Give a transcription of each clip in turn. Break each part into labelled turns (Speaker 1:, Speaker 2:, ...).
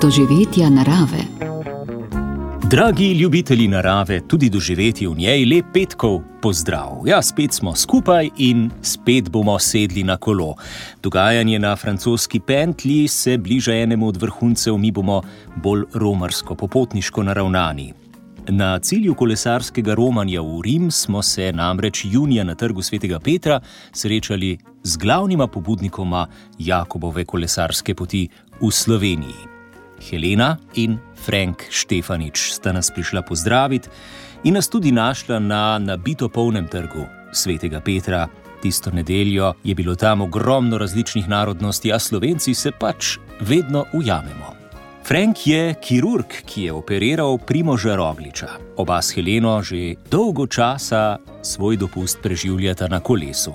Speaker 1: doživetja narave.
Speaker 2: Dragi ljubitelji narave, tudi doživeti v njej, lep petkov pozdrav. Ja, spet smo skupaj in spet bomo sedli na kolo. Dogajanje na francoski pentlji se bliža enemu od vrhuncev, mi bomo bolj romarsko, popotniško naravnani. Na cilju kolesarskega romanja v Rim smo se namreč junija na trgu Svetega Petra srečali z glavnima pobudnikoma Jakobove kolesarske poti v Sloveniji. Helena in Frank Štefanič sta nas prišla pozdraviti in nas tudi našla na nabito polnem trgu Svetega Petra. Tisto nedeljo je bilo tam ogromno različnih narodnosti, a Slovenci se pač vedno ujamemo. Frank je kirurg, ki je operiral Primoža Rogliča. Oba s Heleno že dolgo časa svoj dopust preživljata na kolesu.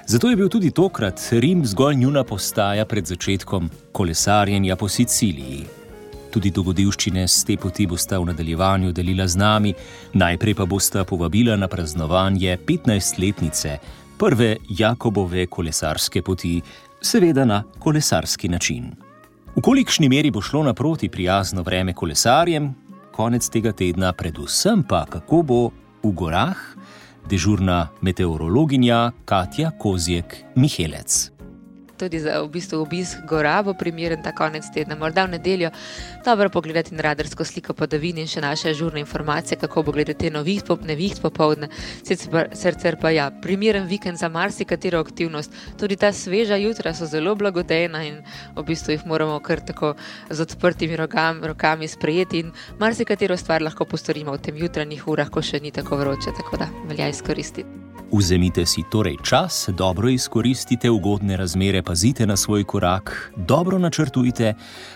Speaker 2: Zato je bil tudi tokrat Rim zgolj njuna postaja pred začetkom kolesarjenja po Siciliji. Tudi dogodivščine s te poti bosta v nadaljevanju delila z nami, najprej pa bosta povabila na praznovanje 15-letnice prve Jakobove kolesarske poti, seveda na kolesarski način. V kolikšni meri bo šlo naproti prijazno vreme kolesarjem, konec tega tedna, predvsem pa kako bo v gorah, dežurna meteorologinja Katja Kozjek-Mihelec.
Speaker 3: Tudi za obisk gora bo primeren ta konec tedna, morda v nedeljo. Dobro pogledati na radarsko sliko padavin in še naše žurne informacije, kako bo gledati neviht popoldne. Sicer pa ja, primeren vikend za marsikatero aktivnost. Tudi ta sveža jutra so zelo blagodejna in v bistvu jih moramo kar tako z odprtimi rokami sprejeti in marsikatero stvar lahko postorimo v tem jutranjih urah, ko še ni tako vroče, tako da velja izkoristiti.
Speaker 2: Vzemite si torej čas, dobro izkoristite ugodne razmere, pazite na svoj korak, dobro načrtujte,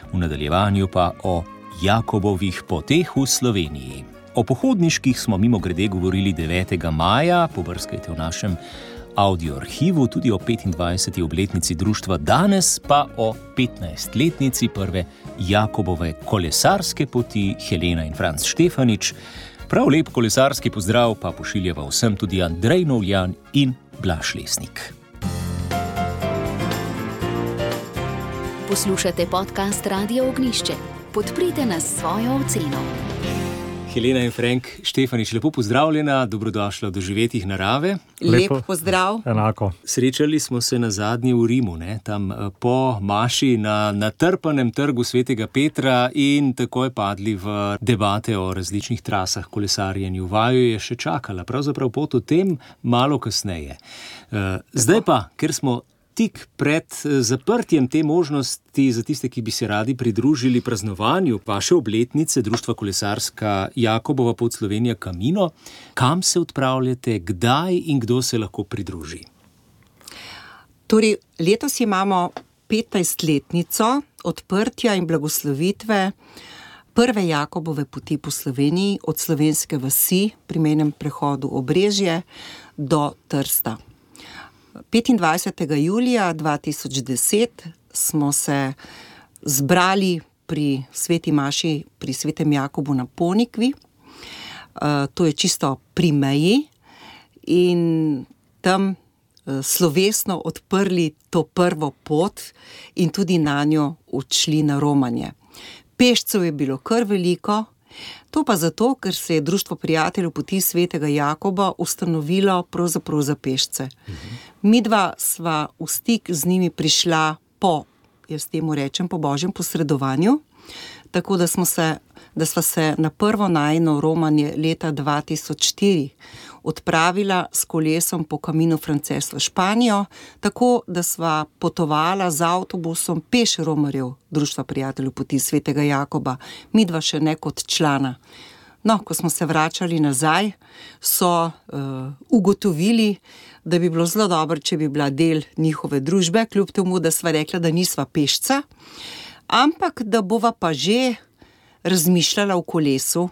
Speaker 2: v nadaljevanju pa o Jakobovih poteh v Sloveniji. O pohodniških smo mimogrede govorili 9. maja, pobrskajte v našem audioarhivu, tudi o 25. obletnici društva, danes pa o 15-letnici prve Jakobove kolesarske poti Helena in Franc Štefanič. Prav lep kolesarski pozdrav pa pošiljava vsem tudi Andrej Novljan in Blaž Lesnik.
Speaker 1: Poslušate podcast Radio Ognjišče. Podprite nas s svojo oceno.
Speaker 2: Helena in Frank Štefanič, lepo pozdravljena, dobrodošla v doživetjih narave.
Speaker 4: Lep pozdrav.
Speaker 5: Enako.
Speaker 2: Srečali smo se nazadnje v Rimu, tam po maši na natrpanem trgu Svetega Petra in takoj padli v debate o različnih trasah kolesarjenju. Vaju je še čakala, pravzaprav pot o tem malo kasneje. Zdaj pa, ker smo tik pred zaprtjem te možnosti za tiste, ki bi se radi pridružili praznovanju vaše obletnice Društva kolesarska Jakobova pot Slovenija Camino, kam se odpravljate, kdaj in kdo se lahko pridruži?
Speaker 4: Torej, letos imamo 15-letnico odprtja in blagoslovitve prve Jakobove poti po Sloveniji od slovenske vasi pri mejnem prehodu Obrežje do Trsta. 25. julija 2010 smo se zbrali pri sveti maši pri svetem Jakobu na Ponikvi. To je čisto pri meji in tam slovesno odprli to prvo pot in tudi na njo odšli na romanje. Pešcev je bilo kar veliko, to pa zato, ker se je Društvo prijateljev poti svetega Jakoba ustanovilo pravzaprav za pešce. Midva sva v stik z njimi prišla po božjem posredovanju, tako da sva se na prvo najino romanje leta 2004 odpravila s kolesom po Camino Frances v Španijo, tako da sva potovala z avtobusom peš romarjev Društva prijateljev poti svetega Jakoba, midva še ne kot člana. No, ko smo se vračali nazaj, so ugotovili, da bi bilo zelo dobro, če bi bila del njihove družbe, kljub temu, da sva rekla, da nisva pešca, ampak da bova pa že razmišljala v kolesu.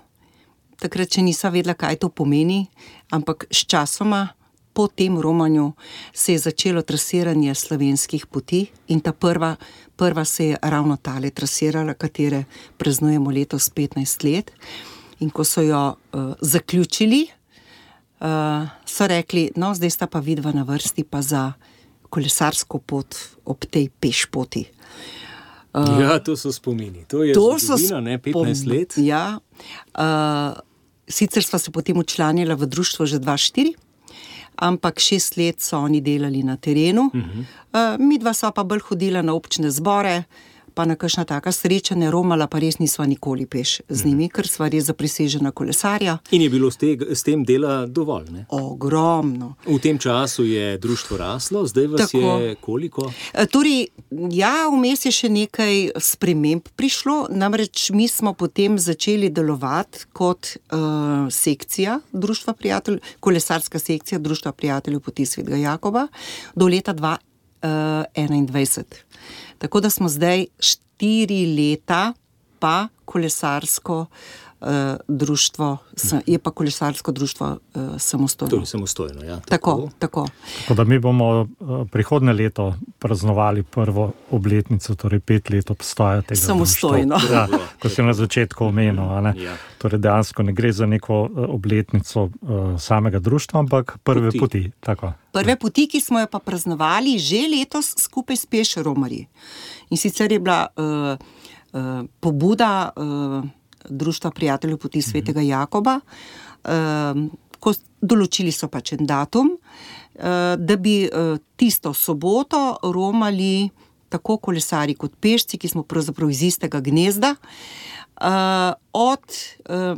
Speaker 4: Takrat še nisva vedela, kaj to pomeni, ampak s časoma po tem romanju se je začelo trasiranje slovenskih poti in ta prva se je ravno tale trasirala, katere praznujemo letos 15 let. In ko so jo zaključili, so rekli, no, zdaj sta pa vidva na vrsti pa za kolesarsko pot ob tej peš poti.
Speaker 2: Ja, to so spomini. To je zgodovina, ne, 15 let.
Speaker 4: Ja. Sicer sva se potem včlanila v društvo že 2004, ampak 6 let so oni delali na terenu. Midva sva pa bolj hodila na občne zbore, pa na kakšna taka srečanja, romala pa res nisva nikoli peš z njimi, ker sva res zaprisežena kolesarja.
Speaker 2: In je bilo s tem dela dovolj, ne?
Speaker 4: Ogromno.
Speaker 2: V tem času je društvo raslo, zdaj vas je koliko?
Speaker 4: Torej, ja, vmes je še nekaj sprememb prišlo, namreč mi smo potem začeli delovati kot sekcija Društva prijateljev, kolesarska sekcija Društva prijateljev poti Svetega Jakoba do leta 2021. Tako da smo zdaj 4 leta pa kolesarsko društvo, je pa kolesarsko društvo samostojno.
Speaker 2: To je samostojno, ja.
Speaker 4: Tako.
Speaker 5: Tako da mi bomo prihodnje leto praznovali prvo obletnico, torej 5 let obstoja tega
Speaker 4: samostojno.
Speaker 5: Ja, ko si na začetku omenil, ne?
Speaker 2: Ja.
Speaker 5: Torej dejansko ne gre za neko obletnico samega društva, ampak prve poti. Tako.
Speaker 4: Prve poti, ki smo jo pa praznovali že letos skupaj s Peš romarji. In sicer je bila pobuda Društva prijateljev poti Svetega Jakoba, ko določili so pač en datum, da bi tisto soboto romali tako kolesari kot pešci, ki smo pravzaprav iz istega gnezda, od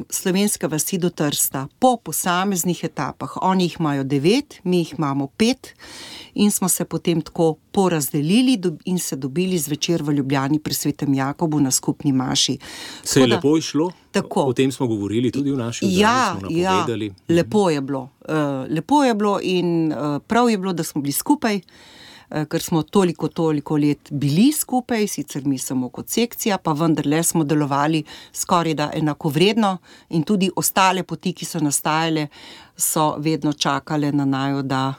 Speaker 4: Slovenske vasi do Trsta po posameznih etapah. Oni jih imajo 9, mi jih imamo 5 in smo se potem tako porazdelili in se dobili zvečer v Ljubljani pri Svetem Jakobu na skupni maši.
Speaker 2: Se je lepo išlo?
Speaker 4: Tako.
Speaker 2: O tem smo govorili tudi v naši oddaji, smo napovedali.
Speaker 4: Ja, lepo je bilo. Lepo je bilo in prav je bilo, da smo bili skupaj, ker smo toliko let bili skupaj, sicer mi samo kot sekcija, pa vendarle smo delovali skoraj da enakovredno in tudi ostale poti, ki so nastajale, so vedno čakale na naju, da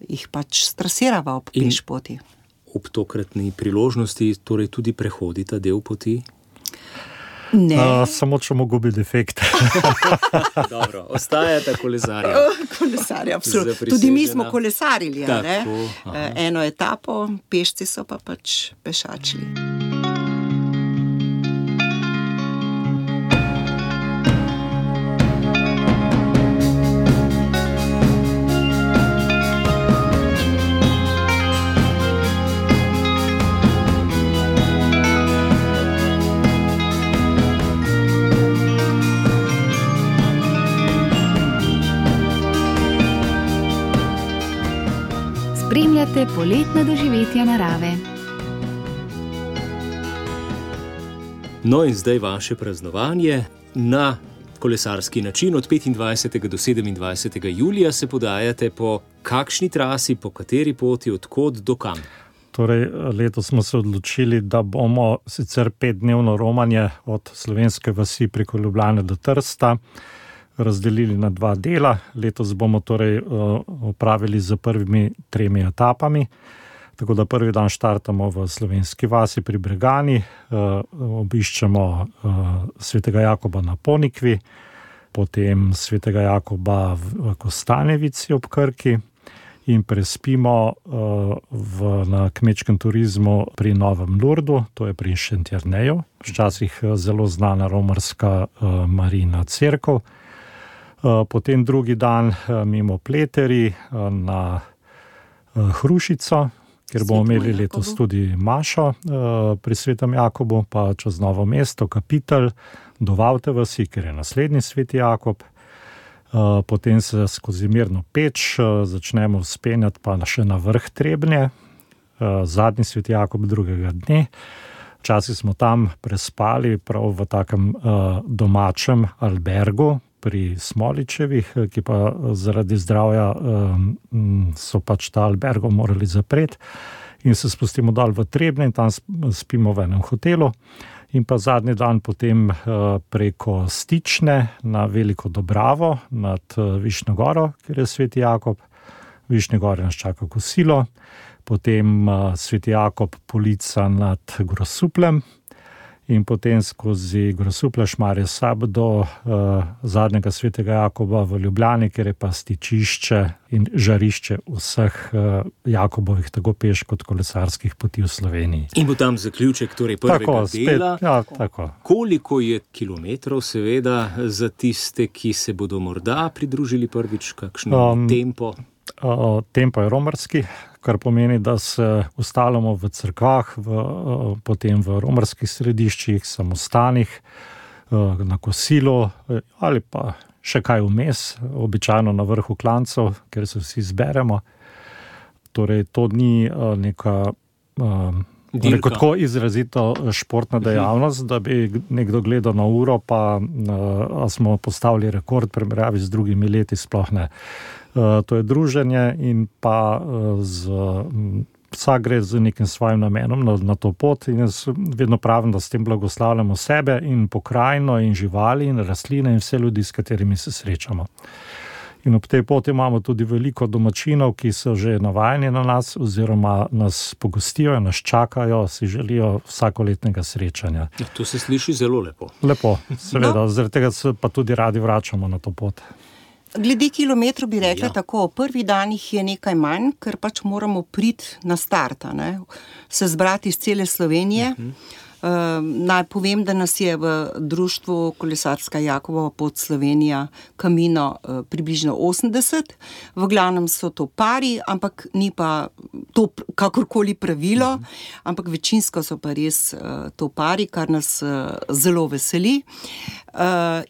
Speaker 4: jih pač strasirava ob pešpoti.
Speaker 2: Ob tokratni priložnosti torej tudi prehodita del poti?
Speaker 4: Ne.
Speaker 5: Samo če mu gubi defekt.
Speaker 2: Dobro, ostajata kolesarja.
Speaker 4: Kolesarja, absolutno. Tudi mi smo kolesarili, ne? Eno etapo, pešci so pa pač pešačili.
Speaker 1: Spremljate poletna doživetja narave.
Speaker 2: No in zdaj vaše praznovanje na kolesarski način. Od 25. do 27. julija se podajate po kakšni trasi, po kateri poti, od kod do kam?
Speaker 5: Torej, letos smo se odločili, da bomo sicer 5-dnevno romanje od Slovenske vasi preko Ljubljane do Trsta razdelili na 2 dela. Letos bomo torej opravili z prvimi 3 etapami. Tako da prvi dan štartamo v Slovenski vasi pri Bregani, obiščemo Svetega Jakoba na Ponikvi, potem Svetega Jakoba v Kostanjevici ob Krki in prespimo na kmečkem turizmu pri Novem Lurdu, to je pri Šentjerneju, včasih zelo znana romarska Marijina cerkev. Potem drugi dan mimo Pleteri na Hrušico, kjer bomo imeli letos tudi mašo pri Svetem Jakobu, pa čez Novo mesto, Kapitelj, do Vavte vasi, ker je naslednji Sveti Jakob. Potem se skozi Mirno Peč začnemo vzpenjati pa še na vrh Trebnje, zadnji Sveti Jakob drugega dne. Včasih smo tam prespali prav v takem domačem albergu pri Smoličevih, ki pa zaradi zdravja so pač ta albergo morali zapreti in se spustimo dol v Trebnje in tam spimo v enem hotelu. In pa zadnji dan potem preko Stične na Veliko Dobravo nad Višnjo goro, kjer je Sveti Jakob. Višnje gore nas čaka kosilo, potem Sveti Jakob Polica nad Grosupljem in potem skozi Grosuplje, Šmarje, Sab do zadnjega Svetega Jakoba v Ljubljani, kjer je pa stičišče in žarišče vseh Jakobovih tako peš kot kolesarskih poti v Sloveniji.
Speaker 2: In bo tam zaključek torej prvega dela.
Speaker 5: Tako.
Speaker 2: Koliko je kilometrov seveda za tiste, ki se bodo morda pridružili prvič, kakšen tempo?
Speaker 5: Tempo je romarski, kar pomeni, da se ustalimo v cerkvah, potem v romarskih središčih, samostanih, na kosilu ali pa še kaj vmes, običajno na vrhu klancev, kjer se vsi zberemo. Torej, to ni neka tako izrazito športna dejavnost, da bi nekdo gledal na uro, pa smo postavili rekord primerjavi z drugimi leti, sploh ne. To je druženje in pa vsak gre z nekim svojim namenom na to pot in jaz vedno pravim, da s tem blagoslavljamo sebe in pokrajino in živali in rastline in vse ljudi, s katerimi se srečamo. In ob tej poti imamo tudi veliko domačinov, ki so že navajeni na nas oziroma nas pogostijo, nas čakajo, si želijo vsakoletnega srečanja.
Speaker 2: Ja, to se sliši zelo lepo.
Speaker 5: Lepo, seveda, zaradi tega se pa tudi radi vračamo na to pot.
Speaker 4: Glede kilometrov bi rekla tako, v prvih danih je nekaj manj, ker pač moramo priti na start, se zbrati iz cele Slovenije. Naj povem, da nas je v društvu Kolesarska Jakobova pot Slovenija Camino približno 80. V glavnem so to pari, ampak ni pa to kakorkoli pravilo, ampak večinsko so pa res to pari, kar nas zelo veseli.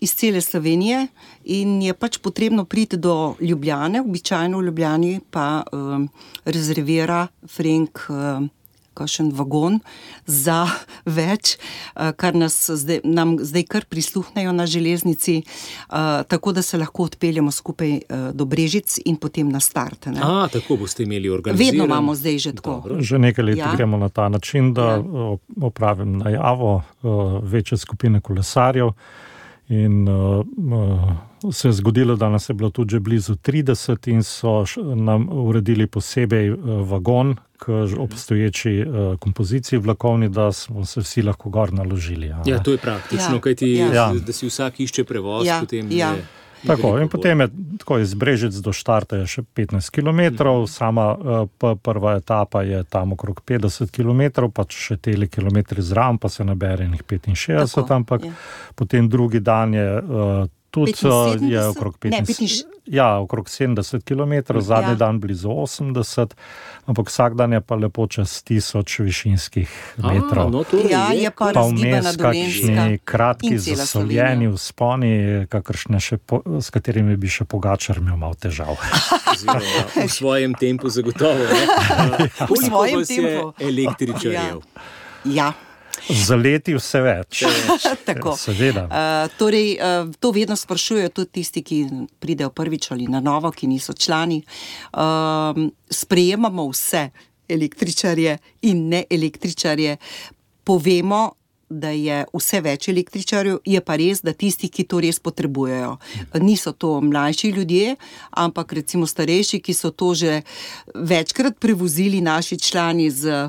Speaker 4: Iz cele Slovenije in je pač potrebno priti do Ljubljane, običajno v Ljubljani pa rezervira Frenk kakšen vagon za več, kar nam zdaj kar prisluhnejo na železnici, tako da se lahko odpeljemo skupaj do Brežic in potem na start.
Speaker 2: Tako boste imeli organiziran.
Speaker 4: Vedno imamo zdaj že tako.
Speaker 2: Dobro.
Speaker 5: Že nekaj let gremo na ta način, da opravim najavo večje skupine kolesarjev in se je zgodilo, da nas je bilo tudi že blizu 30 in so nam uredili posebej vagon k obstoječi kompoziciji vlakovni, da smo se vsi lahko gor naložili.
Speaker 2: Ja, to je praktično, kajti da si vsak išče prevoz, potem je...
Speaker 5: Tako, in potem je tako iz Brežic do Štarta je še 15 kilometrov, sama prva etapa je tam okrog 50 kilometrov, pa še teli kilometri zraven, pa se nabere njih 65, ampak potem drugi dan je tudi je okrog 70 kilometrov, zadnji dan blizu 80, ampak vsak dan je pa lepo čez 1000 višinskih metrov.
Speaker 4: Je pa razgibana Dolenjska.
Speaker 5: Kakšni kratki zasoljeni vzponi, s katerimi bi še Pogačar imel malo težav.
Speaker 2: V svojem tempu zagotovo. Koliko vas je električarjev?
Speaker 5: Za leti vse več.
Speaker 4: Tako.
Speaker 5: Seveda.
Speaker 4: Torej, to vedno sprašujejo tudi tisti, ki pridejo prvič ali na novo, ki niso člani. Sprejemamo vse električarje in ne električarje. Povemo, da je vse več električarjev, je pa res, da tisti, ki to res potrebujejo. Niso to mlajši ljudje, ampak recimo starejši, ki so to že večkrat prevozili naši člani z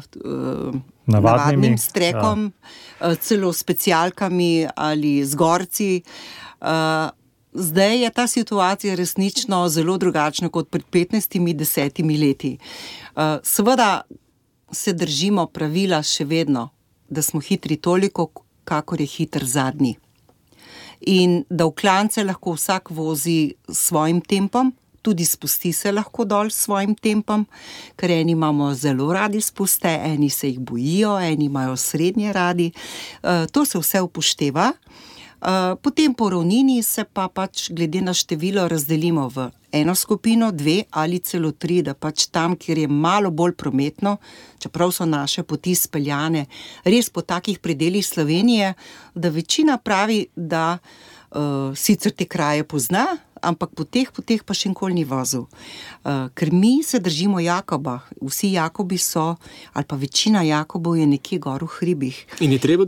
Speaker 4: navadnim strekom, celo specialkami ali z gorci. Zdaj je ta situacija resnično zelo drugačna kot pred 15-10 leti. Seveda se držimo pravila še vedno, da smo hitri toliko, kakor je hiter zadnji. In da v klance lahko vsak vozi s svojim tempom, tudi spusti se lahko dol s svojim tempom, ker eni imamo zelo radi spuste, eni se jih bojijo, eni imajo srednje radi. To se vse upošteva. Potem po ravnini se pa pač glede na število razdelimo v eno skupino, 2 ali celo 3, da pač tam, kjer je malo bolj prometno, čeprav so naše poti speljane res po takih predelih Slovenije, da večina pravi, da sicer te kraje pozna, ampak po teh poteh pa še nikoli ni vozil. Ker mi se držimo Jakoba, vsi Jakobi so, ali pa večina Jakobov je nekje gor v hribih.
Speaker 2: In je treba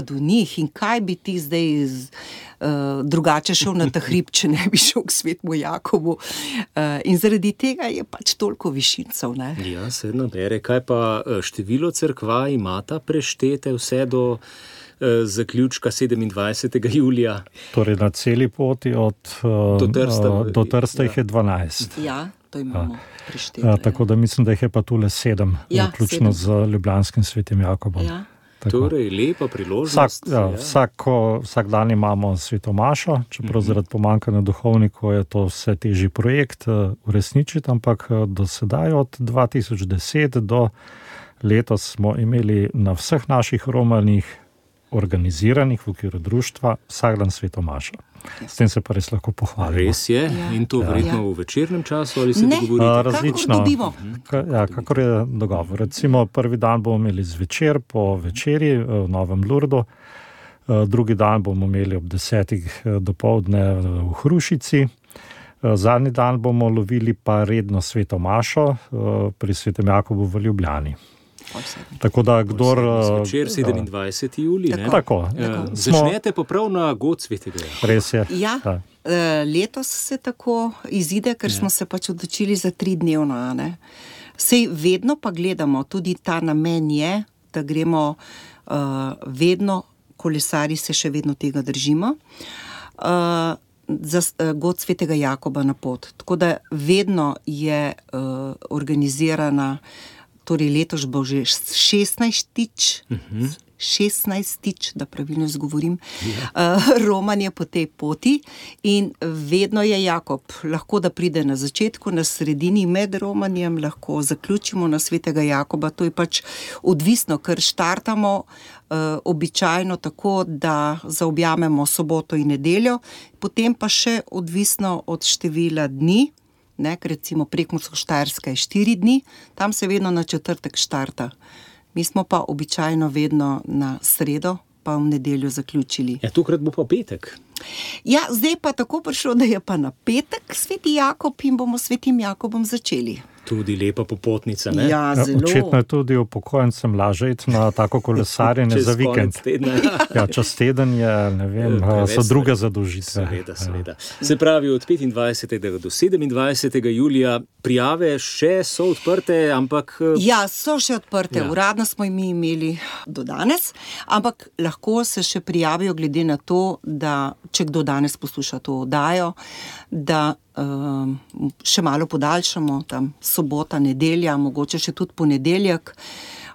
Speaker 2: do njih.
Speaker 4: In kaj bi ti zdaj drugače šel na ta hrib, če ne bi šel k svetemu Jakobu. In zaradi tega je pač toliko višincev. Ne?
Speaker 2: Ja, se nabere. Kaj pa število cerkva imata preštete vse do zaključka 27. julija?
Speaker 5: Torej na celi poti do Trsta jih je 12.
Speaker 4: Ja, to imamo preštete.
Speaker 5: Tako da mislim, da jih je pa tule 7, vključno z ljubljanskim svetim Jakobom.
Speaker 4: Ja.
Speaker 2: Torej, lepa priložnost.
Speaker 5: Vsak dan imamo svetomašo, čeprav zaradi pomanjkanja duhovnikov je to vse težji projekt uresničiti, ampak do sedaj od 2010 do letos smo imeli na vseh naših romanjih organiziranih v okviru društva vsak dan svetomašo. S tem se pa res lahko pohvalimo.
Speaker 2: Res je, in to verjetno v večernem času ali se dogovorite?
Speaker 5: Različno. Kakor je dogovor. Recimo prvi dan bomo imeli zvečer po večeri v Novem Lurdu, drugi dan bomo imeli ob 10. dopoldne v Hrušici, zadnji dan bomo lovili pa redno svetomašo pri svetem Jakobu v Ljubljani. Tako da kdor...
Speaker 2: Zvečer 27. julij, ne?
Speaker 5: Tako.
Speaker 2: Začnete pa prav na god svetega.
Speaker 5: Res je.
Speaker 4: Ja, letos se tako izide, ker smo se pač odločili za 3-dnevno. Sej vedno pa gledamo, tudi ta namen je, da gremo vedno, kolesari se še vedno tega držimo, za god svetega Jakoba na pot. Tako da vedno je organizirana, torej letos bo že 16-tič, da pravilno izgovorim, romanje po tej poti in vedno je Jakob. Lahko da pride na začetku, na sredini med romanjem, lahko zaključimo na svetega Jakoba. To je pač odvisno, ker štartamo običajno tako, da zaobjamemo soboto in nedeljo, potem pa še odvisno od števila dni, ker recimo Prekmursko-Štajerska je 4 dni, tam se vedno na četrtek štarta. Mi smo pa običajno vedno na sredo, pa v nedeljo zaključili.
Speaker 2: Ja, tokrat bo pa petek.
Speaker 4: Ja, zdaj pa tako prišlo, da je pa na petek sveti Jakob in bomo svetim Jakobom začeli.
Speaker 2: Tudi lepa popotnica, ne?
Speaker 4: Ja, zelo.
Speaker 5: Očitno je tudi upokojencem lažje iti na tako kolesarjenje za vikend. Ja, čez teden je, ne vem, so druge zadolžitve.
Speaker 2: Seveda. Se pravi, od 25. do 27. julija prijave še so odprte, ampak...
Speaker 4: Ja, so še odprte. Uradno smo mi imeli do danes, ampak lahko se še prijavijo glede na to, da če kdo danes posluša to oddajo, da še malo podaljšamo, tam sobota, nedelja, mogoče še tudi ponedeljek,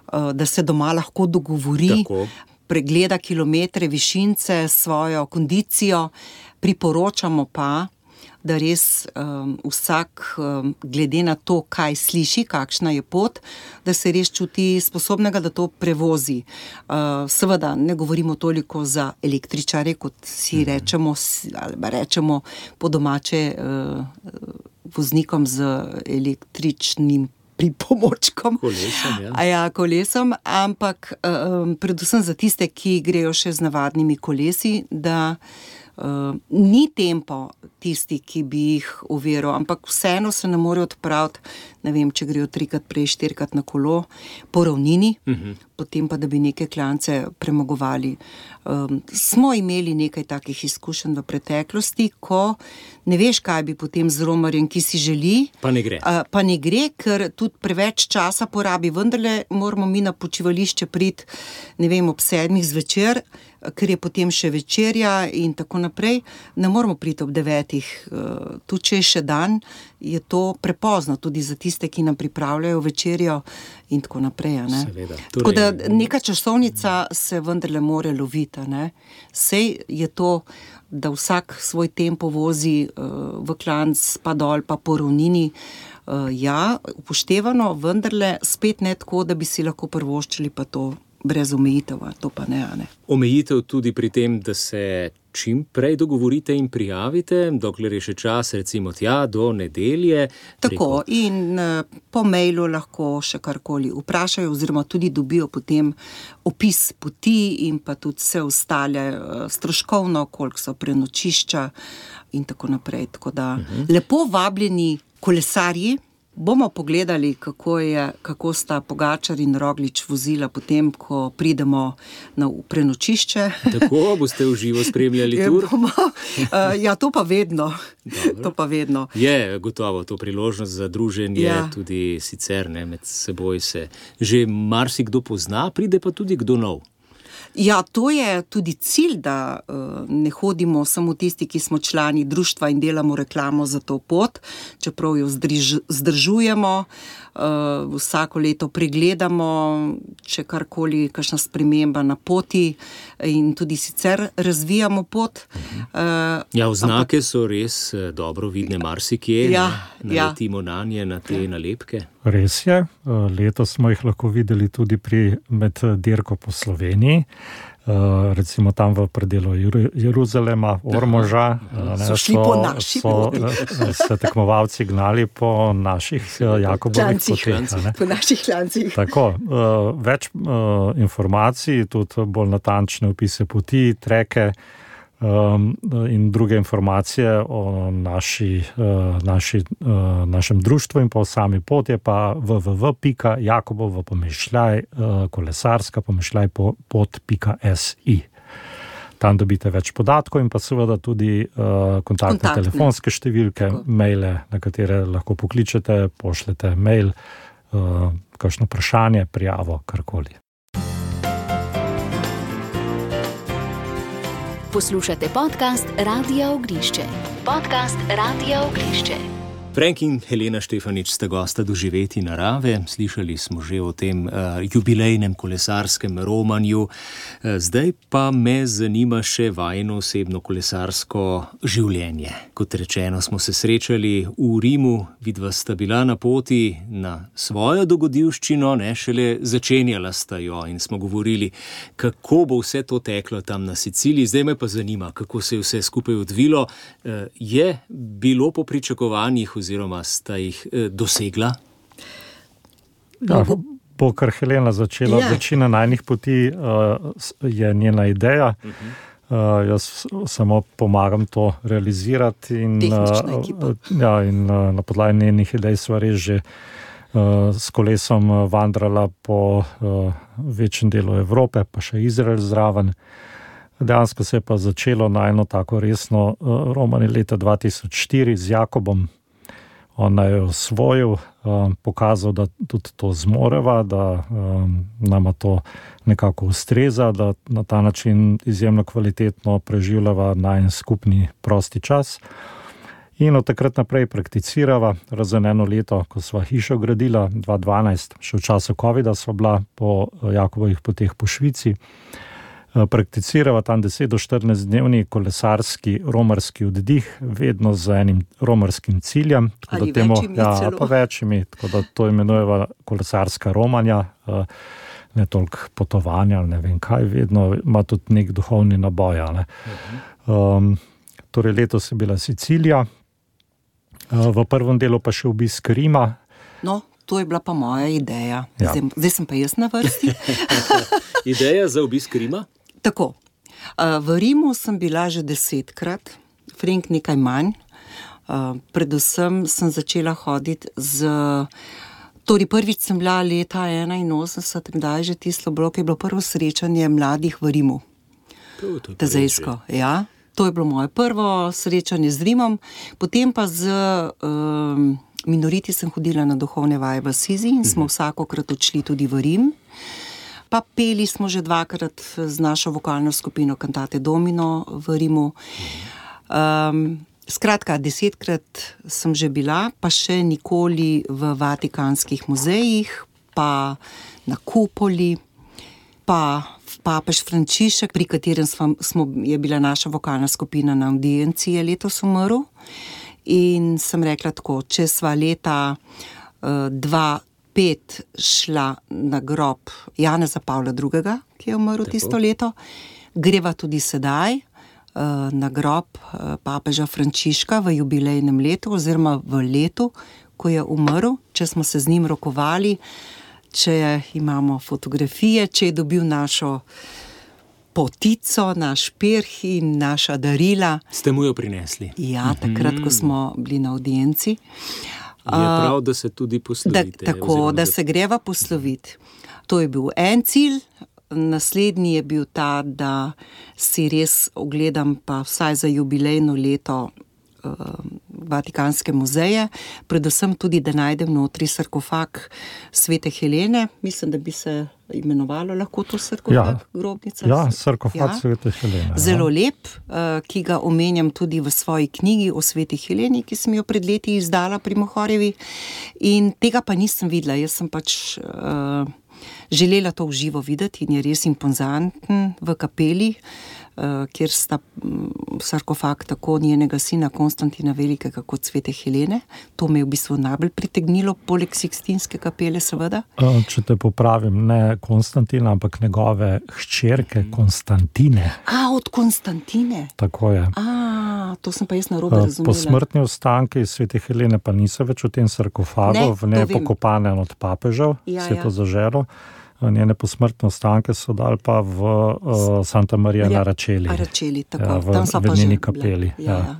Speaker 4: da se doma lahko dogovori, pregleda kilometre, višince, svojo kondicijo, priporočamo pa, da res vsak, glede na to, kaj sliši, kakšna je pot, da se res čuti sposobnega, da to prevozi. Seveda ne govorimo toliko za električare, kot si rečemo po domače voznikom z električnim pripomočkom. Kolesom, ampak predvsem za tiste, ki grejo še z navadnimi kolesi, da ni tempo tisti, ki bi jih uveril, ampak vseeno se ne more odpraviti, ne vem, če grejo 3-krat prej, 4-krat na kolo, po ravnini, potem pa, da bi neke klance premagovali. Smo imeli nekaj takih izkušenj v preteklosti, ko ne veš, kaj bi potem z romarjem, ki si želi.
Speaker 2: Pa ne gre.
Speaker 4: Pa ne gre, ker tudi preveč časa porabi. Vendarle moramo mi na počivališče priti, ne vem, ob 7 zvečer, ker je potem še večerja in tako naprej. Ne moramo priti ob 9. Tu, če je še dan, je to prepozno tudi za tiste, ki nam pripravljajo večerjo in tako naprej.
Speaker 2: Seveda.
Speaker 4: Tako da neka časovnica se vendarle more loviti. Sej je to, da vsak svoj tempo vozi v klanc, pa dol, pa po ravnini. Ja, upoštevano, vendarle spet ne tako, da bi si lahko privoščili pa to brez omejitev, to pa ne.
Speaker 2: Omejitev tudi pri tem, da se čim prej dogovorite in prijavite, dokler je še čas, recimo tja do nedelje.
Speaker 4: Tako, in po mailu lahko še karkoli vprašajo, oziroma tudi dobijo potem opis poti in pa tudi vse ostale stroškovno, koliko so prenočišča in tako naprej. Tako da lepo vabljeni kolesarji. Bomo pogledali, kako sta Pogačar in Roglič vozila potem, ko pridemo na prenočišče.
Speaker 2: Tako, boste v živo spremljali tur?
Speaker 4: Ja, to pa vedno. To pa vedno.
Speaker 2: Je gotovo to priložnost za druženje, tudi sicer med seboj se že marsikdo pozna, pride pa tudi kdo nov.
Speaker 4: Ja, to je tudi cilj, da ne hodimo samo tisti, ki smo člani društva in delamo reklamo za to pot, čeprav jo zdržujemo, vsako leto pregledamo, če karkoli, kakšna sprememba na poti in tudi sicer razvijamo pot.
Speaker 2: Oznake so res dobro vidne marsikje, naletimo nanje, na te nalepke.
Speaker 5: Res je, letos smo jih lahko videli tudi med dirko po Sloveniji, recimo tam v predelu Jeruzalema, Ormoža.
Speaker 4: So šli po naši poti.
Speaker 5: Se tekmovalci gnali po naših Jakobovih poteh.
Speaker 4: Po naših klancih.
Speaker 5: Tako, več informacij, tudi bolj natančne opise poti, treke in druge informacije o našem društvu in pa o sami poti, pa www.jakobova-kolesarska-pot.si. Tam dobite več podatkov in pa seveda tudi kontaktne telefonske številke, maile, na katere lahko pokličete, pošljete mail, kakšno vprašanje, prijavo, karkoli.
Speaker 1: Poslušate podcast Radia Ognišče. Podcast Radia Ognišče.
Speaker 2: Frank in Helena Štefanič sta gosta Doživeti narave. Slišali smo že o tem jubilejnem kolesarskem romanju. Zdaj pa me zanima še vajino osebno kolesarsko življenje. Kot rečeno, smo se srečali v Rimu, vidva sta bila na poti na svojo dogodivščino, šele začenjala sta jo in smo govorili, kako bo vse to teklo tam na Siciliji. Zdaj me pa zanima, kako se je vse skupaj odvilo. Je bilo po pričakovanjih oziroma sta jih dosegla?
Speaker 5: Ja, bo kar Helena začela. Večina najnih poti je njena ideja. Jaz samo pomagam to realizirati in na podlagi njenih idej sva res že s kolesom vandrala po večjem delu Evrope, pa še Izrael zraven. Dejansko se je pa začelo na eno tako resno romanje leta 2004 z Jakobom. On je osvojil, pokazal, da tudi to zmoreva, da nama to nekako ustreza, da na ta način izjemno kvalitetno preživljava najin skupni prosti čas. In od takrat naprej prakticirava, razen eno leto, ko sva hišo gradila, 2012, še v času covida sva bila po Jakobovih poteh po Švici. Prakticirava tam 10 do 14 dnevni kolesarski romarski oddih, vedno z enim romarskim ciljem.
Speaker 4: Ali večjimi celo.
Speaker 5: Pa večjimi, tako da to imenujeva kolesarska romanja, ne toliko potovanja, ne vem kaj, vedno ima tudi nek duhovni naboj. Torej letos je bila Sicilija, v prvem delu pa še obisk Rima.
Speaker 4: No, to je bila pa moja ideja. Zdaj sem pa jaz na vrsti.
Speaker 2: Ideja za obisk Rima?
Speaker 4: Tako, v Rimu sem bila že 10-krat, Frank nekaj manj. Predvsem sem začela hoditi torej prvič sem bila leta 81, kdaj že tisto bilo, ko je bilo prvo srečanje mladih v Rimu. Tezejsko, ja. To je bilo moje prvo srečanje z Rimom, potem pa z minoriti sem hodila na duhovne vaje v Asizi in smo vsakokrat odšli tudi v Rim. Pa peli smo že 2-krat z našo vokalno skupino Cantate Domino v Rimu. Skratka, 10-krat sem že bila, pa še nikoli v vatikanskih muzejih, pa na kupoli, pa papež Frančišek, pri katerem je bila naša vokalna skupina na audienci, je letos umrl. In sem rekla tako, če sva leta 2015 spet šla na grob Janeza Pavla II., ki je umrl tisto leto. Greva tudi sedaj na grob papeža Frančiška v jubilejnem letu oziroma v letu, ko je umrl, če smo se z njim rokovali, če imamo fotografije, če je dobil našo potico, naš pirh in naša darila.
Speaker 2: Ste mu jo prinesli?
Speaker 4: Ja, takrat, ko smo bili na audienci.
Speaker 2: Je prav, da se tudi poslovite.
Speaker 4: Tako, da se greva posloviti. To je bil en cilj. Naslednji je bil ta, da si res ogledam pa vsaj za jubilejno leto Vatikanske muzeje, predvsem tudi, da najdem notri sarkofag Svete Helene. Mislim, da bi se imenovalo lahko to sarkofag, grobnica.
Speaker 5: Ja, sarkofag Svete Helene.
Speaker 4: Zelo lep, ki ga omenjam tudi v svoji knjigi o Sveti Heleni, ki sem jo pred leti izdala pri Mohorjevi. In tega pa nisem videla. Jaz sem pač želela to v živo videti in je res impozanten v kapeli, kjer sta sarkofag tako njenega sina Konstantina Velikega kot Svete Helene. To me je v bistvu najbolj pritegnilo, poleg Sikstinske kapele seveda.
Speaker 5: Če te popravim, ne Konstantina, ampak njegove hčerke Konstantine.
Speaker 4: Od Konstantine?
Speaker 5: Tako je.
Speaker 4: To sem pa jaz narobe razumela.
Speaker 5: Posmrtni ostanki Svete Helene pa niso več v tem sarkofagu, v njej pokopane od papežev, Sveto zaželo. Njene posmrtne ostanke so dali pa v Santa Maria na Račeli.
Speaker 4: Tako.
Speaker 5: V njeni kapeli.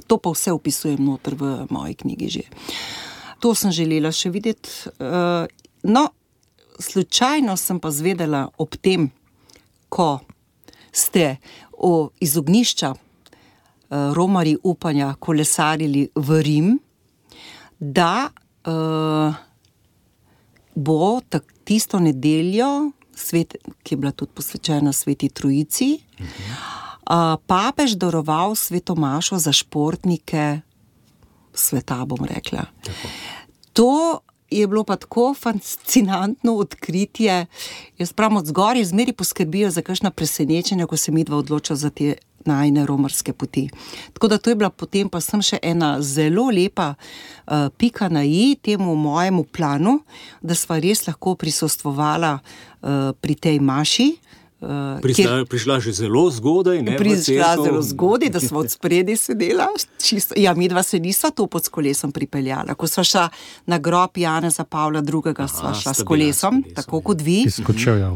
Speaker 4: To pa vse opisujem noter v moji knjigi že. To sem želela še videti. Slučajno sem pa zvedela ob tem, ko ste iz ognjišča romarji upanja kolesarili v Rim, da bo tisto nedeljo, ki je bila tudi posvečena Sveti Trojici, papež daroval sveto mašo za športnike sveta, bom rekla. Tako. To je bilo pa tako fascinantno odkritje. Jaz pravim, od zgoraj zmeri poskrbijo za kakšna presenečenja, ko se midva odloča za te najine romarske poti. Tako da to je bila potem pa sem še ena zelo lepa pika na i temu mojemu planu, da sva res lahko prisostvovala pri tej maši.
Speaker 2: Prišla že zelo zgodaj, ne?
Speaker 4: Prišla zelo zgodaj, da sva od spredi sedela. Midva se nisva to pod s kolesom pripeljala. Ko sva šla na grob Janeza Pavla II., sva šla s kolesom, tako kot vi.
Speaker 5: Izkočevja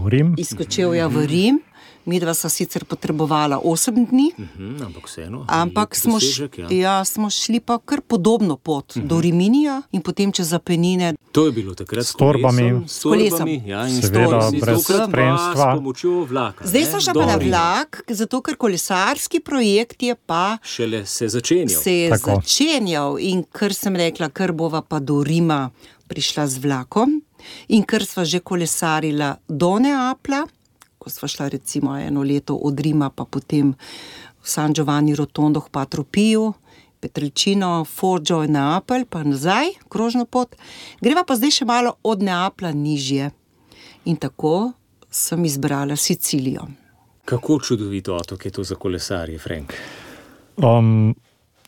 Speaker 5: v Rim.
Speaker 4: Midva sva sicer potrebovala 8 dni, ampak smo šli pa kar podobno pot do Riminija in potem čez Apenine.
Speaker 2: To je bilo takrat
Speaker 5: s torbami,
Speaker 4: s kolesom.
Speaker 5: Seveda brez spremstva.
Speaker 2: S pomočjo vlaka.
Speaker 4: Zdaj sva šla pa na vlak, zato ker kolesarski projekt je pa
Speaker 2: šele se začenjal.
Speaker 4: Začenjal in kar sem rekla, kar bova pa do Rima prišla z vlakom in kar sva že kolesarila do Neaplja, ko sva šla recimo eno leto od Rima, pa potem v San Giovanni Rotondo k Patru Piju, Petrelcino, Foggia in Neapelj, pa nazaj, krožno pot. Greva pa zdaj še malo od Neaplja nižje. In tako sem izbrala Sicilijo.
Speaker 2: Kako čudovito otok je to za kolesarje, Frank?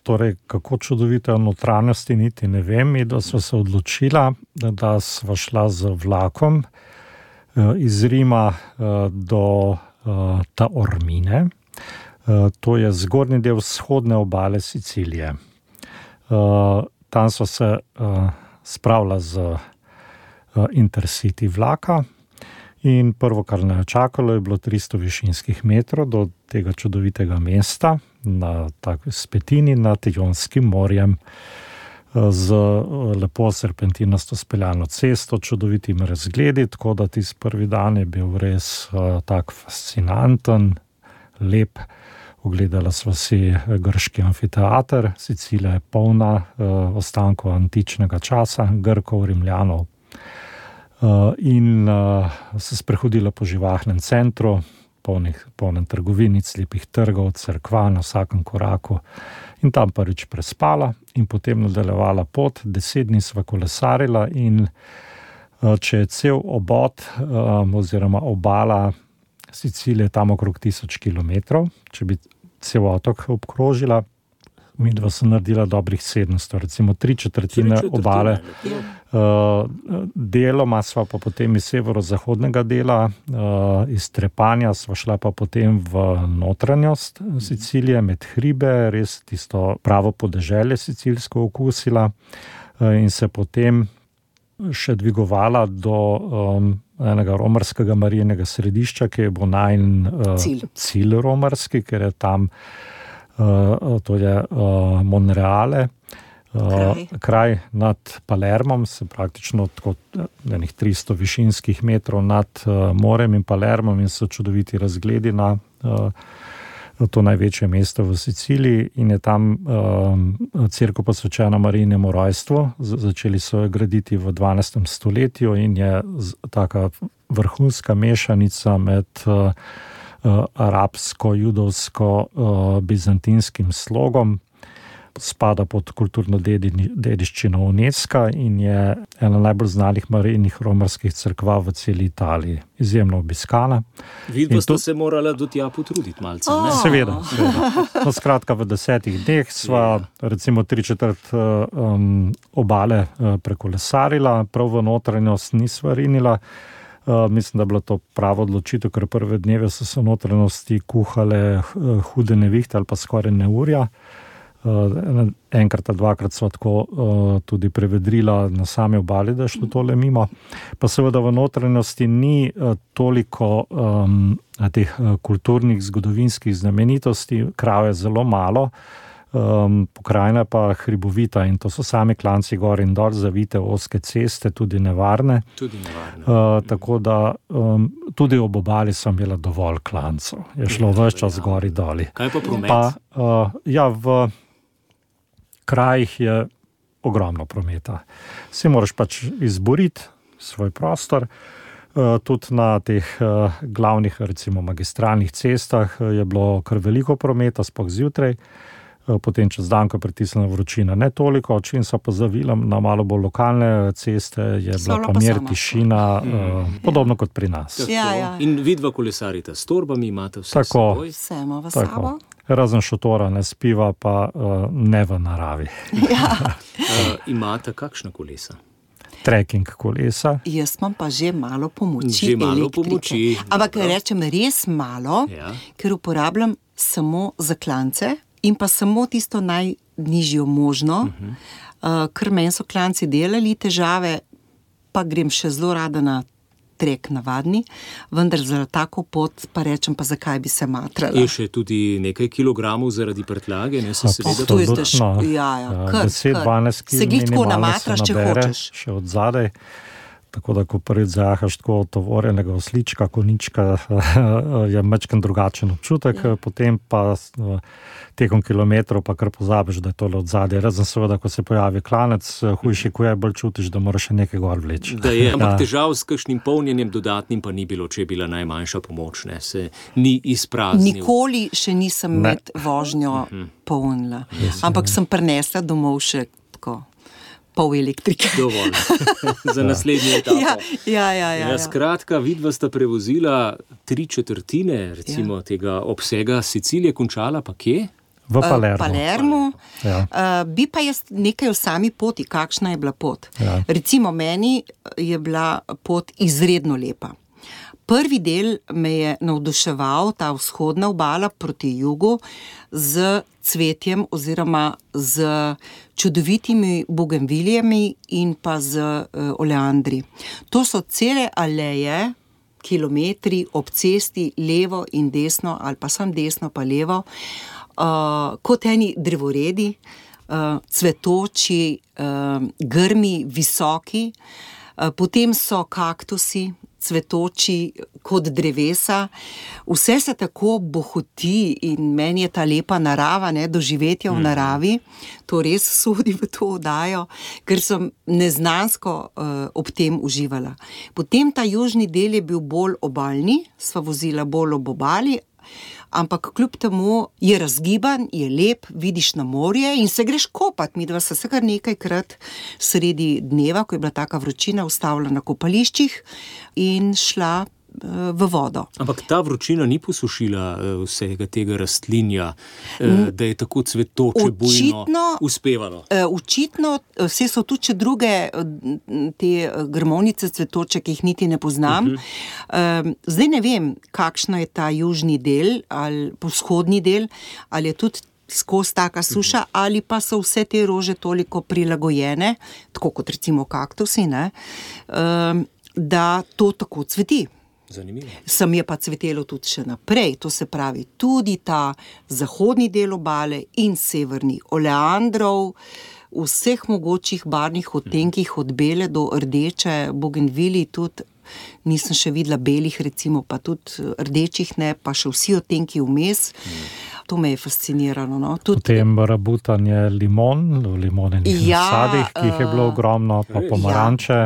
Speaker 5: Torej, kako čudovito notranjosti niti ne vem, da sva se odločila, da sva šla z vlakom iz Rima do Taormine. To je zgornji del vzhodne obale Sicilije. Tam so se spravila z Intercity vlaka in prvo, kar nas je čakalo, je bilo 300 višinskih metrov do tega čudovitega mesta na spetini nad Jonskim morjem, z lepo serpentinasto speljano cesto, čudovitim razgledi, tako da tisti prvi dan je bil res tak fascinanten, lep. Ogledala sva si grški amfiteater, Sicilija je polna ostankov antičnega časa, Grkov, Rimljanov. In se sprehodila po živahnem centru, polnem trgovinic, lepih trgov, cerkva na vsakem koraku. In tam prvič prespala in potem nadaljevala pot. 10 dni sva kolesarila in če je cel obod oziroma obala Sicilije tam okrog 1000 kilometrov, če bi cel otok obkrožila, midva so naredila dobrih 700, recimo 3/4 obale. Deloma sva pa potem iz severozahodnega dela, iz Trepanja sva šla pa potem v notranjost Sicilije, med hribe, res tisto pravo podeželje sicilsko okusila in se potem še dvigovala do enega romarskega marijinega središča, ki je bo najin cilj romarski, ker je tam to je Monreale, kraj nad Palermom, se praktično tako enih 300 višinskih metrov nad morem in Palermom in so čudoviti razgledi na to največje mesto v Siciliji in je tam cerkev posvečena Marijinemu rojstvu. Začeli so jo graditi v 12. stoletju in je taka vrhunska mešanica med arabsko-judovsko-bizantinskim slogom. Spada pod kulturno dediščino UNESCO in je ena najbolj znanih marijnih romarskih cerkva v celi Italiji. Izjemno obiskana.
Speaker 2: Vidva sta se morala do tja potruditi malce, ne?
Speaker 5: Seveda. No, skratka, v 10 dneh sva recimo 3/4 obale prekolesarila, prav v notranjost nisva rinila. Mislim, da je bila to prava odločitev, ker prve dneve so se v notranjosti kuhale hude nevihte ali pa skoraj neurja. Enkrat, dvakrat so tako tudi prevedrila na sami obali, da je šlo tole mimo. Pa seveda v notranjosti ni toliko teh kulturnih, zgodovinskih znamenitosti, krav je zelo malo, pokrajina pa hribovita in to so sami klanci gor in dol, zavite ozke ceste, tudi nevarne. Tako da tudi ob obali sem imela dovolj klancov. Je šlo ves čas gori doli.
Speaker 2: Kaj pa promet?
Speaker 5: V krajih je ogromno prometa. Si moraš pač izboriti svoj prostor. Tudi na teh glavnih, recimo magistralnih cestah je bilo kar veliko prometa, sploh zjutraj. Potem čez dan, ko je pritisnila vročina, ne toliko, čim so pa zavila na malo bolj lokalne ceste, je bila pa mir, tišina, podobno kot pri nas.
Speaker 4: Ja.
Speaker 2: In vidva kolesarita s torbami, imate vse seboj?
Speaker 4: Vse imamo v sabo.
Speaker 5: Razen šotora ne spiva, pa ne v naravi.
Speaker 2: Imate kakšna kolesa?
Speaker 5: Trekking kolesa.
Speaker 4: Jaz imam pa že malo pomoči elektrike. Ampak rečem res malo, ker uporabljam samo za klance in pa samo tisto najnižjo možno, ker meni so klanci delali težave, pa grem še zelo rada na trek navadni, vendar za tako pot pa rečem, pa zakaj bi se matrala.
Speaker 2: Je še tudi nekaj kilogramov zaradi prtljage, ne se seveda.
Speaker 4: To je težko.
Speaker 5: 10-12 kg minimalno se nabere, še od zadaj. Tako da, ko prvič zajahaš tako tovorjenega oslička, konička, je majčken drugačen občutek, potem pa tekom kilometrov pa kar pozabiš, da je tole od zadaj. Razen seveda, ko se pojavi klanec, hujši kuj, bolj čutiš, da moraš še nekaj gor vleči.
Speaker 2: Da je, ampak težav s kakšnim polnjenjem dodatnim pa ni bilo, če je bila najmanjša pomoč, ne, se ni izpraznil.
Speaker 4: Nikoli še nisem med vožnjo polnila, ampak sem prinesla domov še tako pol elektrike.
Speaker 2: Dovolj. Za naslednje etapo.
Speaker 4: Ja.
Speaker 2: Skratka, vidva sta prevozila 3/4 recimo tega obsega Sicilije, končala pa kje?
Speaker 5: V
Speaker 4: Palermu. Bi pa jaz nekaj o sami poti, kakšna je bila pot. Recimo meni je bila pot izredno lepa. Prvi del me je navduševal, ta vzhodna obala proti jugu, z cvetjem oziroma z čudovitimi bugenvilijami in pa z oleandri. To so cele aleje, kilometri ob cesti, levo in desno, ali pa sam desno pa levo, kot eni drevoredi, cvetoči, grmi, visoki, potem so kaktusi, cvetoči kot drevesa, vse se tako bohoti in meni je ta lepa narava, doživetje v naravi, to res sodi v to oddajo, ker sem neznansko ob tem uživala. Potem ta južni del je bil bolj obalni, sva vozila bolj ob obali, ampak kljub temu je razgiban, je lep, vidiš na morje in se greš kopat. Midva sta se kar nekajkrat sredi dneva, ko je bila taka vročina, ustavila na kopališčih in šla v vodo.
Speaker 2: Ampak ta vročina ni posušila vsega tega rastlinja, da je tako cvetoče bujno uspevalo.
Speaker 4: Očitno, vse so tudi druge te grmovnice cvetoče, ki jih niti ne poznam. Zdaj ne vem, kakšno je ta južni del ali vzhodni del, ali je tudi skozi taka suša, ali pa so vse te rože toliko prilagojene, tako kot recimo kaktusi, ne, da to tako cveti.
Speaker 2: Zanimivo.
Speaker 4: Sem je pa cvetelo tudi še naprej, to se pravi tudi ta zahodni del obale in severni, oleandrov, vseh mogočih barvnih odtenkih od bele do rdeče, bogenvili tudi, nisem še videla belih recimo, pa tudi rdečih ne, pa še vsi odtenki vmes. To me je fasciniralo. No.
Speaker 5: Potem rabutanje limonenih nasadih, ki jih je bilo ogromno, pa pomaranče.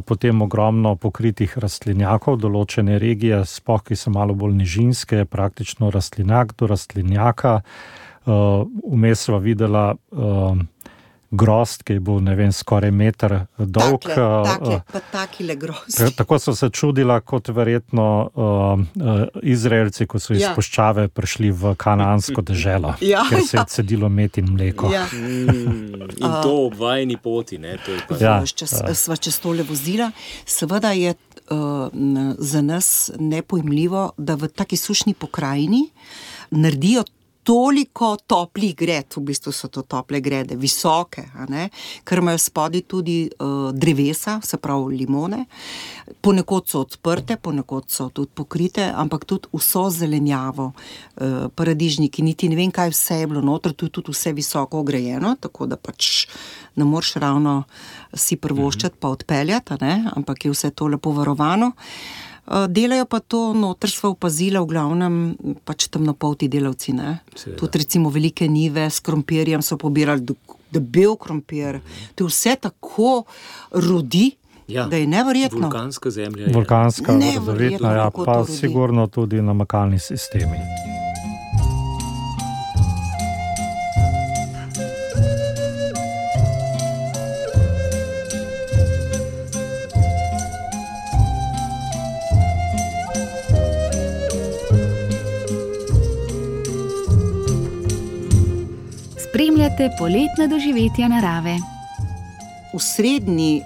Speaker 5: Potem ogromno pokritih rastlinjakov, določene regije, sploh ki so malo bolj nižinske, praktično rastlinjak do rastlinjaka. Vmes sva videla grozd, ki je bil, ne vem, skoraj meter dolg.
Speaker 4: Takile grozd.
Speaker 5: Tako so se čudila, kot verjetno Izraelci, ko so iz puščave prišli v kanaansko deželo, ker se je cedilo med in mleko.
Speaker 2: In to ob vajni poti, ne?
Speaker 4: Sva čez tole vozila. Seveda je za nas nepojmljivo, da v taki sušni pokrajini naredijo toliko toplih gred, v bistvu so to tople grede, visoke, ker imajo spodaj tudi drevesa, se pravi limone, ponekod so odprte, ponekod so tudi pokrite, ampak tudi vso zelenjavo, paradižniki, niti ne vem, kaj vse je bilo noter, tu je tudi vse visoko ograjeno, tako da pač ne moreš ravno si prvoščati pa odpeljati, ampak je vse to lepo varovano. Delajo pa to, noter sva opazila v glavnem pač temnopolti delavci, ne. Tudi recimo velike njive s krompirjem so pobirali debel krompir. To vse tako rodi, da je neverjetno.
Speaker 2: Vulkanska zemlja je.
Speaker 5: Vulkanska, rodovitna, pa sigurno tudi namakalni sistemi.
Speaker 1: Spremljate poletna doživetja narave.
Speaker 4: V srednji,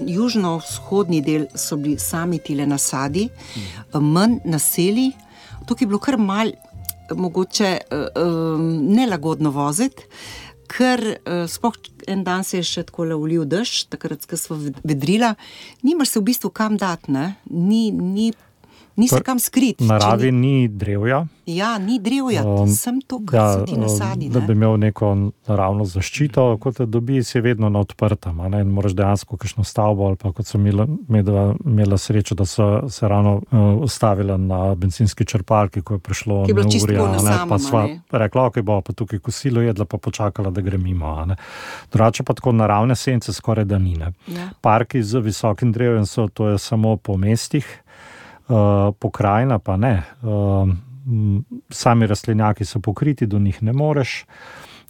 Speaker 4: južno-vzhodni del so bili sami tile nasadi, manj naselij. Tukaj je bilo kar malo, mogoče nelagodno voziti, ker sploh en dan se je še tako ulil dež, takrat, ko sva vedrila, nimaš se v bistvu kam dati, ne? Ni se kam skriti.
Speaker 5: V naravi ni drevja.
Speaker 4: Ja, ni drevja, sem to, kar so ti nasadi.
Speaker 5: Da bi imel neko naravno zaščito, kot te dobi, si vedno na odprtem. Moraš dejansko kakšno stavbo, ali pa kot so imela srečo, da so se ravno ustavila na bencinski črpalki, ko je prišlo neurja. Pa sva rekla, ok, bo pa tukaj kosilo jedla, pa počakala, da gre mimo. Drugače pa tako naravne sence skoraj da ni. Parki z visokim drevjem so, to je samo po mestih, pokrajina pa ne. Sami rastlinjaki so pokriti, do njih ne moreš,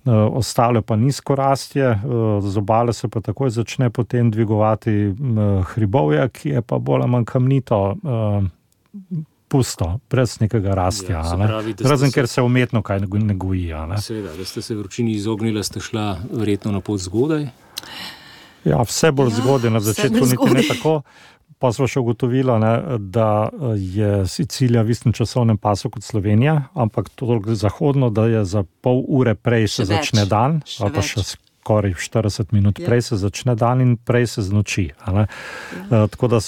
Speaker 5: ostale pa nizko rastje, z obale se pa takoj začne potem dvigovati hribovje, ki je pa bolj manj kamnito, pusto, brez nekega rastja. Razen, ker se umetno kaj ne goji.
Speaker 2: Seveda, da ste se vročini izognila, ste šla verjetno na pot zgodaj?
Speaker 5: Ja, vse bolj zgodaj, na začetku niti ne tako. Pa smo še ugotovila, da je Sicilija v istem časovnem pasu kot Slovenija, ampak toliko zahodno, da je za pol ure prej se začne dan, ali pa še skoraj 40 minut prej se začne dan in prej se znoči. Tako da,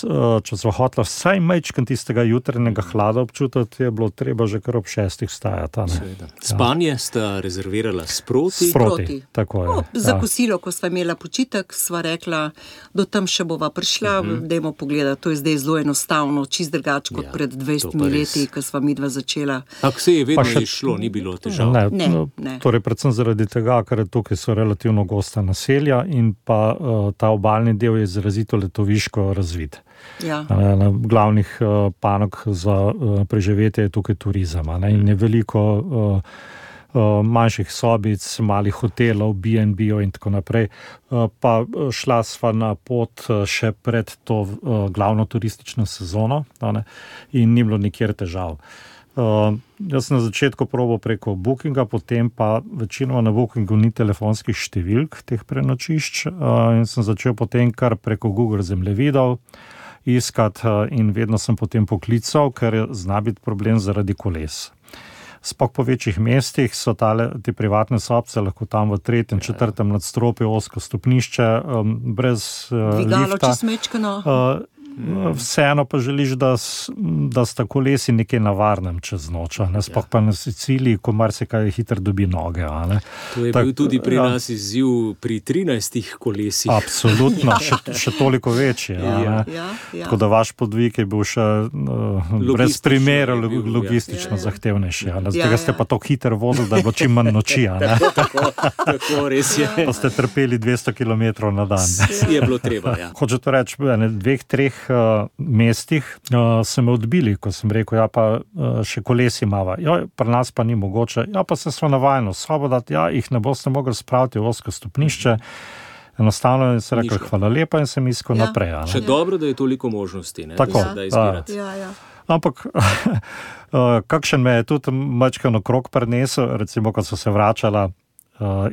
Speaker 5: če smo hotela vsaj majčken tistega jutranjega hlada občutiti, je bilo treba že kar ob 6 vstajati.
Speaker 2: Spanje sta rezervirala sproti?
Speaker 5: Sproti, tako je.
Speaker 4: Za kosilo, ko sva imela počitek, sva rekla, do tam še bova prišla, dajmo pogledati, to je zdaj zelo enostavno, čist drugače kot pred 20 leti, ko sva midva začela.
Speaker 2: Ako se je vedno išlo, ni bilo težav?
Speaker 4: Ne.
Speaker 5: Torej, predvsem zaradi tega, ker tukaj so relativno gosta naselja in pa ta obalni del je izrazito letoviško razvit. Na glavnih panog za preživetje je tukaj turizem. In je veliko manjših sobic, malih hotelov, B&B-ov in tako naprej. Pa šla sva na pot še pred to glavno turistično sezono, in ni bilo nikjer težav. Jaz sem na začetku probal preko Bookinga, potem pa večinoma na Bookingu ni telefonskih številk teh prenočišč, in sem začel potem kar preko Google zemljevidov iskati in vedno sem potem poklical, ker zna biti problem zaradi koles. Sploh po večjih mestih so te privatne sobce lahko tam v 3., 4. nadstropju, ozko stopnišče, brez
Speaker 4: Dvigalo
Speaker 5: lifta.
Speaker 4: čez mečkano.
Speaker 5: Vseeno pa želiš, da sta kolesi nekaj na varnem čez noč, sploh pa na Siciliji, ko marsikaj hitro dobi noge.
Speaker 2: To je bil tudi pri nas izziv pri 13 kolesih.
Speaker 5: Absolutno, še toliko večji. Tako da vaš podvig je bil še brez primera logistično zahtevnejši. Zdaj ste pa tako hitro vozili, da je bilo čim manj noči.
Speaker 2: Tako res je.
Speaker 5: Pa ste trpeli 200 km na dan.
Speaker 2: Je bilo treba, ja.
Speaker 5: Hoče to reči, 2-3 mestih so me odbili, ko sem rekel, pa še kolesi imava. Pri nas pa ni mogoče. Pa se smo navajeno sobo dati, jih ne boste mogli spraviti v ozko stopnišče. Enostavno je se rekel, hvala lepa in sem iskal naprej.
Speaker 2: Še dobro, da je toliko možnosti,
Speaker 5: tako,
Speaker 2: da izbirati.
Speaker 5: Ampak kakšen me je tudi majčkeno krog prinesel, recimo, ko so se vračala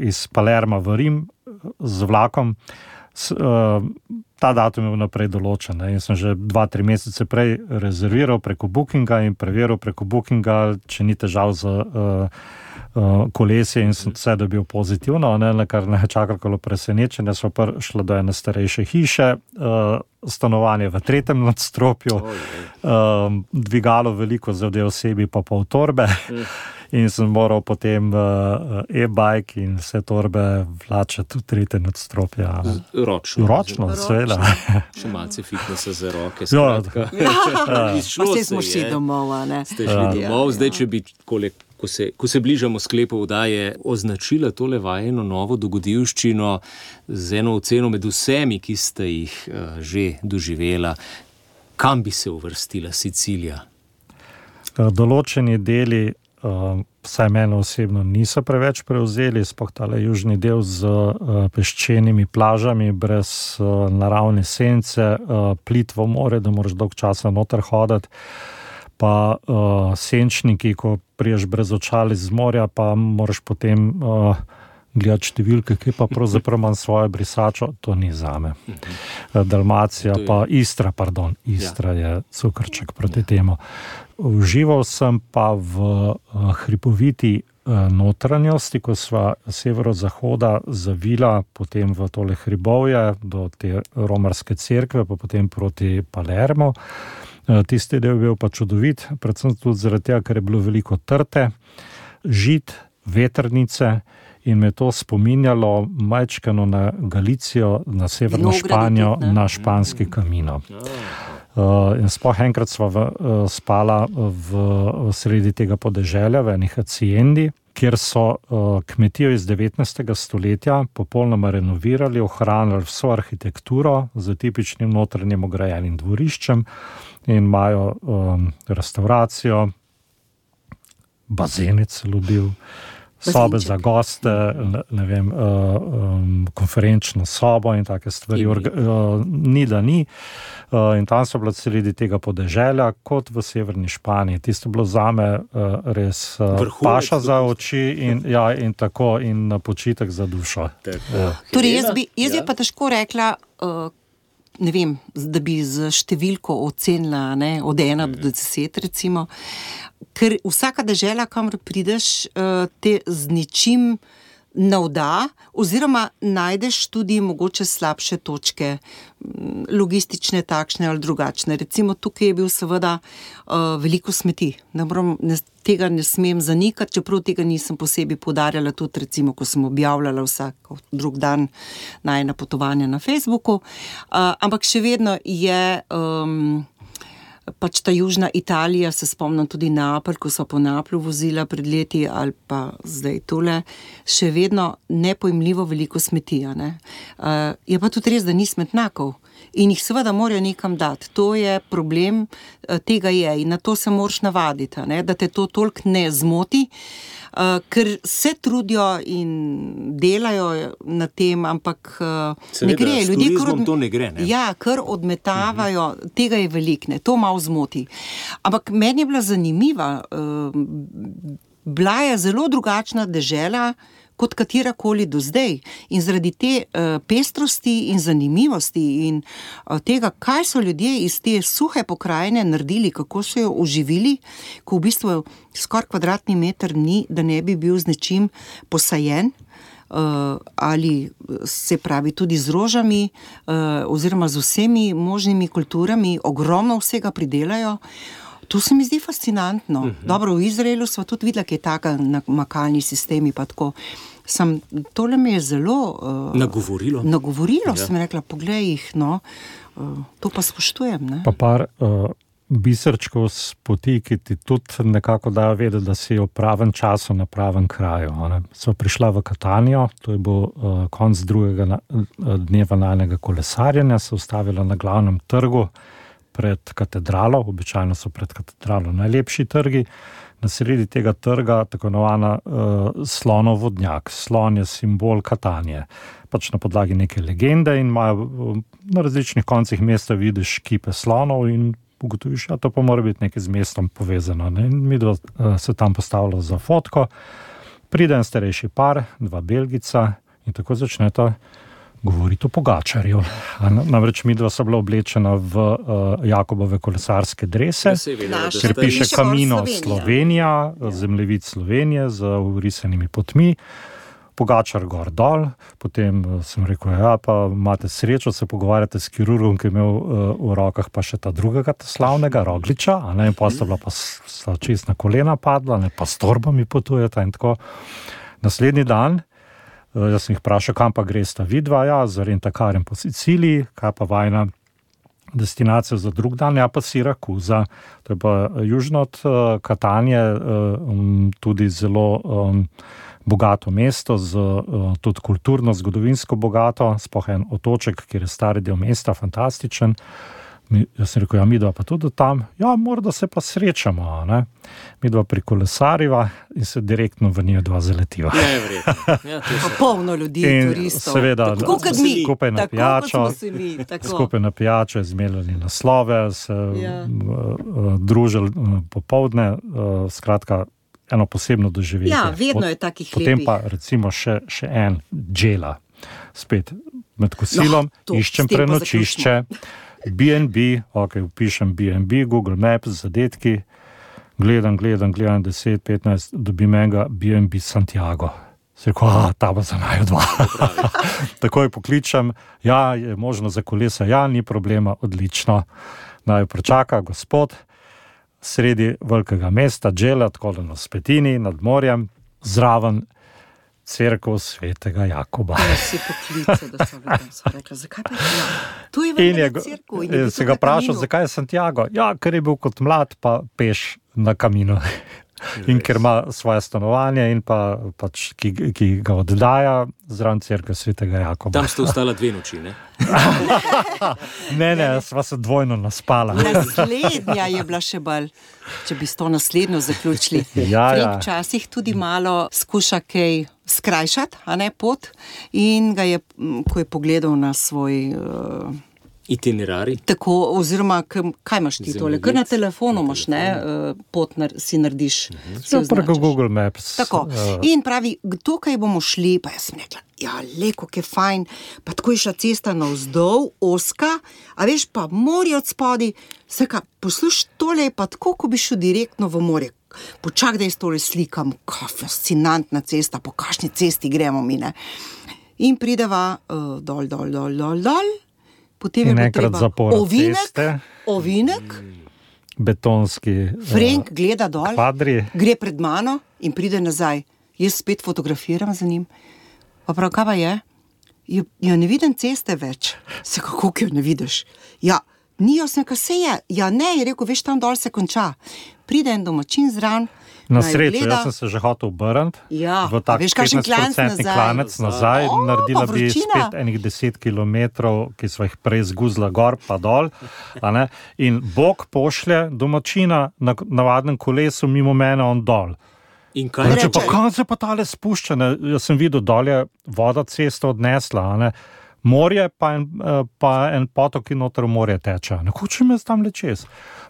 Speaker 5: iz Palerma v Rim z vlakom, ta datum je naprej določen. In sem že 2-3 mesece prej rezerviral preko Bookinga in preveril preko Bookinga, če ni težav z kolesje, in sem vse dobil pozitivno, na kar ne čakalo presenečenje. Smo prišli do ene starejše hiše, stanovanje v 3. nadstropju, dvigalo veliko za 2 osebi pa pol torbe. In sem moral potem e-bike in vse torbe vlačati v 3. nadstropje. Ročno, seveda.
Speaker 2: Še malce fitnesa za roke.
Speaker 4: Pa vse smo šli domov,
Speaker 2: Ste šli domov, zdaj, če bi, ko se bližamo sklepu oddaje, označila tole vajeno novo dogodivščino z eno oceno med vsemi, ki ste jih že doživela, kam bi se uvrstila Sicilija?
Speaker 5: Določeni deli vsaj mene osebno niso preveč prevzeli, sploh tale južni del z peščenimi plažami, brez naravne sence, plitvo more, da moraš dolg časa noter hoditi, pa senčniki, ko priješ brez očal iz morja, pa moraš potem gledati številke, ki pa pravzaprav imam svojo brisačo, to ni zame. Dalmacija, pa Istra je cukrček proti temu. Užival sem pa v hripoviti notranjosti, ko sva severozahoda zavila potem v tole hribovje do te romarske cerkve, pa potem proti Palermo. Tisti del je bil pa čudovit, predvsem tudi zaradi tega, ker je bilo veliko trte, žit, vetrnice, in me to spominjalo majčkeno na Galicijo, na severno Španijo, na španski Camino. In sploh enkrat sva spala v sredi tega podeželja, v enih haciendi, kjer so kmetijo iz 19. stoletja popolnoma renovirali, ohranili vso arhitekturo z tipičnim notranjim ograjenim dvoriščem in imajo restauracijo, bazene celo bil, sobe za goste, konferenčno sobo in take stvari. Ni da ni. In tam so bila sredi tega podeželja, kot v severni Španiji. Tisto bilo zame res paša za oči in tako, in počitek za dušo.
Speaker 4: Torej, jaz bi pa težko rekla, ne vem, da bi z številko ocenila, od 1 do 10 recimo, ker vsaka dežela, kamor prideš, te z ničim navda, oziroma najdeš tudi mogoče slabše točke, logistične takšne ali drugačne. Recimo tukaj je bil seveda veliko smeti. Tega ne smem zanikati, čeprav tega nisem posebej poudarjala, tudi recimo, ko sem objavljala vsak drug dan najina potovanja na Facebooku. Ampak še vedno je pač ta južna Italija, se spomnim tudi Neapelj, ko so po Neaplju vozila pred leti, ali pa zdaj tole, še vedno nepojmljivo veliko smeti. Je pa tudi res, da ni smetnjakov. in jih seveda morajo nekam dati. To je problem, tega je in na to se moraš navaditi, ne? Da te to toliko ne zmoti, ker se trudijo in delajo na tem, ampak
Speaker 2: seveda,
Speaker 4: ne gre.
Speaker 2: Ljudje, to ne gre, ne?
Speaker 4: Ja, kar odmetavajo, tega je veliko, ne? To malo zmoti. Ampak meni je bila zanimiva, bila je zelo drugačna dežela, kot katerakoli do zdaj. In zaradi te pestrosti in zanimivosti in tega, kaj so ljudje iz te suhe pokrajine naredili, kako so jo oživili, ko v bistvu skoraj kvadratni meter ni, da ne bi bil z nečim posajen, ali se pravi tudi z rožami, oziroma z vsemi možnimi kulturami, ogromno vsega pridelajo. To se mi zdi fascinantno. Dobro, v Izraelu sva tudi videla, kaj je taka namakalni sistemi, pa tako. Tole me je zelo nagovorilo, ja. Sem rekla, poglej jih, no, to pa spoštujem, ne.
Speaker 5: Pa par biserčkov s poti, ki ti tudi nekako dajo vedeti, da si v pravem času na pravem kraju. So prišla v Katanijo, to je bil konc drugega dneva najnega kolesarjenja, se ustavila na glavnem trgu pred katedralo, običajno so pred katedralo najlepši trgi, na sredi tega trga tako imenovana slonov vodnjak. Slon je simbol Katanije. Pač na podlagi neke legende in imajo na različnih koncih mesta vidiš kipe slonov in ugotoviš, to pa mora biti nekaj z mestom povezano. Ne? In mi se tam postavilo za fotko, pride en starejši par, dva Belgica in tako začneta govoriti o Pogačarju. Namreč midva sta bila oblečena v Jakobove kolesarske drese, kjer piše Camino Slovenija, zemljevid Slovenije z vrisanimi potmi, Pogačar gor dol, potem sem rekel, pa imate srečo, se pogovarjate s kirurgom, ki je imel v rokah pa še ta drugega slavnega Rogliča, in pa sta bila pa čist na kolena padla, pa s torbami potujeta in tako. Naslednji dan jaz sem jih vprašal, kam pa gresta vidva, z rentakarjem po Siciliji, kaj pa vajna destinacija za drug dan, pa Sirakuza. To je pa južno od Katanje, tudi zelo bogato mesto, tudi kulturno, zgodovinsko bogato, sploh en otoček, kjer je stari del mesta, fantastičen. Jaz sem rekel, midva pa tudi tam, morda se pa srečamo, ne? Midva prikolesariva in se direktno v njih dva zaletiva.
Speaker 4: Pa polno ljudi, turistov.
Speaker 5: Seveda, skupaj na pijačo, izmenjali naslove, se družili popoldne, skratka, eno posebno doživetje.
Speaker 4: Ja, vedno je takih lepih.
Speaker 5: Potem pa recimo še en džela, spet med kosilom, iščem prenočišče, B&B, vpišem B&B, Google Maps, zadetki, gledam 10-15, dobim enega B&B Santiago. Se rekel, ta bo za naju dva. Takoj pokličem, je možno za kolesa, ni problema, odlično. Naj pričaka gospod, sredi velikega mesta, džela, tako na Spetini, nad morjem, zraven cerkev svetega Jakoba.
Speaker 4: Si poklical, da sem rekla, zakaj pa je tu je velika cerkev?
Speaker 5: In se ga vprašal, zakaj je Santiago? Ker je bil kot mlad pa peš na Camino. In ker ima svoje stanovanje in pač, ki ga oddaja zraven cerkev svetega Jakoba.
Speaker 2: Tam ste ostala 2 noči, ne?
Speaker 5: Ne, sva se dvojno naspala.
Speaker 4: Naslednja je bila še bolj, če bi s to naslednjo zaključili. Frank včasih tudi malo skuša kaj skrajšati, pot, in ga je, ko je pogledal na svoj
Speaker 2: itinerari.
Speaker 4: Tako, oziroma, kaj imaš ti tole? Kar na telefonu imaš, pot si narediš.
Speaker 5: Preko Google Maps.
Speaker 4: Tako. In pravi, tukaj bomo šli, pa jaz sem rekla, leko, kaj fajn, pa tako je šla cesta navzdol, oska, a veš, pa morje od spodi, posluš, tole je pa tako, ko bi šel direktno v morje. Počak, da jaz tole slikam, fascinantna cesta, po kakšni cesti gremo mi, ne. In prideva dol, potem
Speaker 5: je treba
Speaker 4: ovinek,
Speaker 5: betonski
Speaker 4: Frank gleda dol,
Speaker 5: kvadri,
Speaker 4: gre pred mano in pride nazaj. Jaz spet fotografiram za njim. Pa prav, kaj pa je? Ne vidim ceste več. Se kako jo ne vidiš? Ni jasno, kaj se je. Ne, je rekel, veš, tam dol se konča. Pride en domačin zraven,
Speaker 5: Na srečo, jaz sem se že hotel obrniti v tak 15% klanec nazaj, naredila bi spet enih 10 kilometrov, ki smo jih prej zguzla gor pa dol, in Bog pošlje domačina na navadnem kolesu mimo mene on dol.
Speaker 2: In kaj
Speaker 5: reče? Kaj se pa tale spušča? Jaz sem videl, dol je voda cesto odnesla, morje pa en potok in noter v morje teče. Nekoče me tam le čez.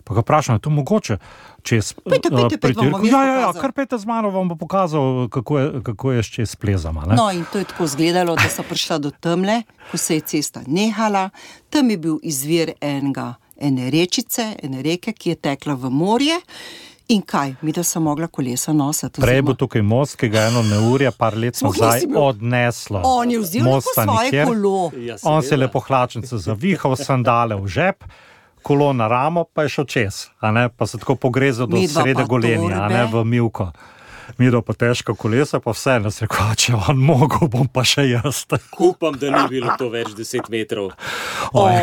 Speaker 5: Pa ga vprašam, je to mogoče čez pretirku? Ja, kar pejte z mano, vam bo pokazal, kako je čez plezama.
Speaker 4: No, in to je tako izgledalo, da so prišla do temle, ko se je cesta nehala. Tam je bil izvir ene rečice, ene reke, ki je tekla v morje. In kaj? Mi da so mogla kolesa nositi.
Speaker 5: Prej bo tukaj most, ki ga eno neurje par let nazaj odneslo.
Speaker 4: On je vzel lepo svoje kolo.
Speaker 5: On se je lepo hlačnice zavihal, sandale v žep, kolo na ramo, pa je šel čez. Pa se tako pogrezal do srede golenja, v Mivko. Midva pa težka kolesa, pa vse nas rekel, če on mogel, bom pa še jaz.
Speaker 2: Upam, da ni bilo to več 10 metrov.
Speaker 5: Je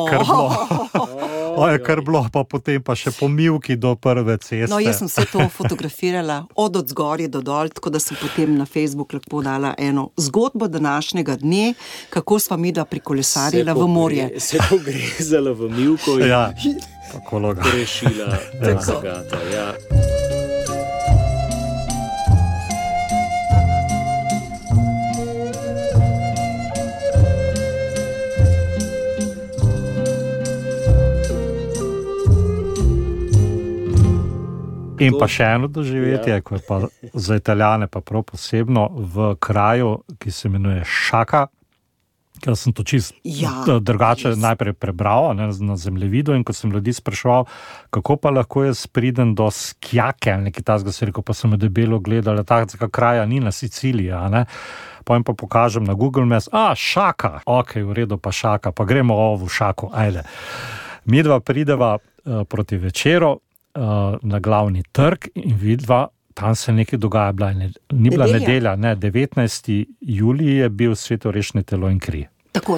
Speaker 5: kar bilo, pa potem pa še po Mivki do prve ceste.
Speaker 4: No, jaz sem se to fotografirala od zgorje do dol, tako da sem potem na Facebook lahko dala eno zgodbo današnjega dne, kako sva midva prikolesarila v morje.
Speaker 2: Se pogrezala v Mivko in rešila zagata,
Speaker 5: In pa še eno doživetje, ko je pa za Italijane pa prav posebno v kraju, ki se imenuje Šaka, ker sem to čisto drugače najprej prebral na zemljevidu, in ko sem ljudi spraševal, kako pa lahko jaz pridem do Skjake, ali nekaj takega, se rekel, pa sem debelo gledal, takega kraja ni na Siciliji, pa jim pa pokažem na Google Maps, Šaka, v redu, pa Šaka, pa gremo v Šaku, ajde. Midva prideva proti večeru na glavni trg in vidva, tam se nekaj dogaja, ni bila nedelja, 19. julij je bil svetorešne telo in kri.
Speaker 4: Tako,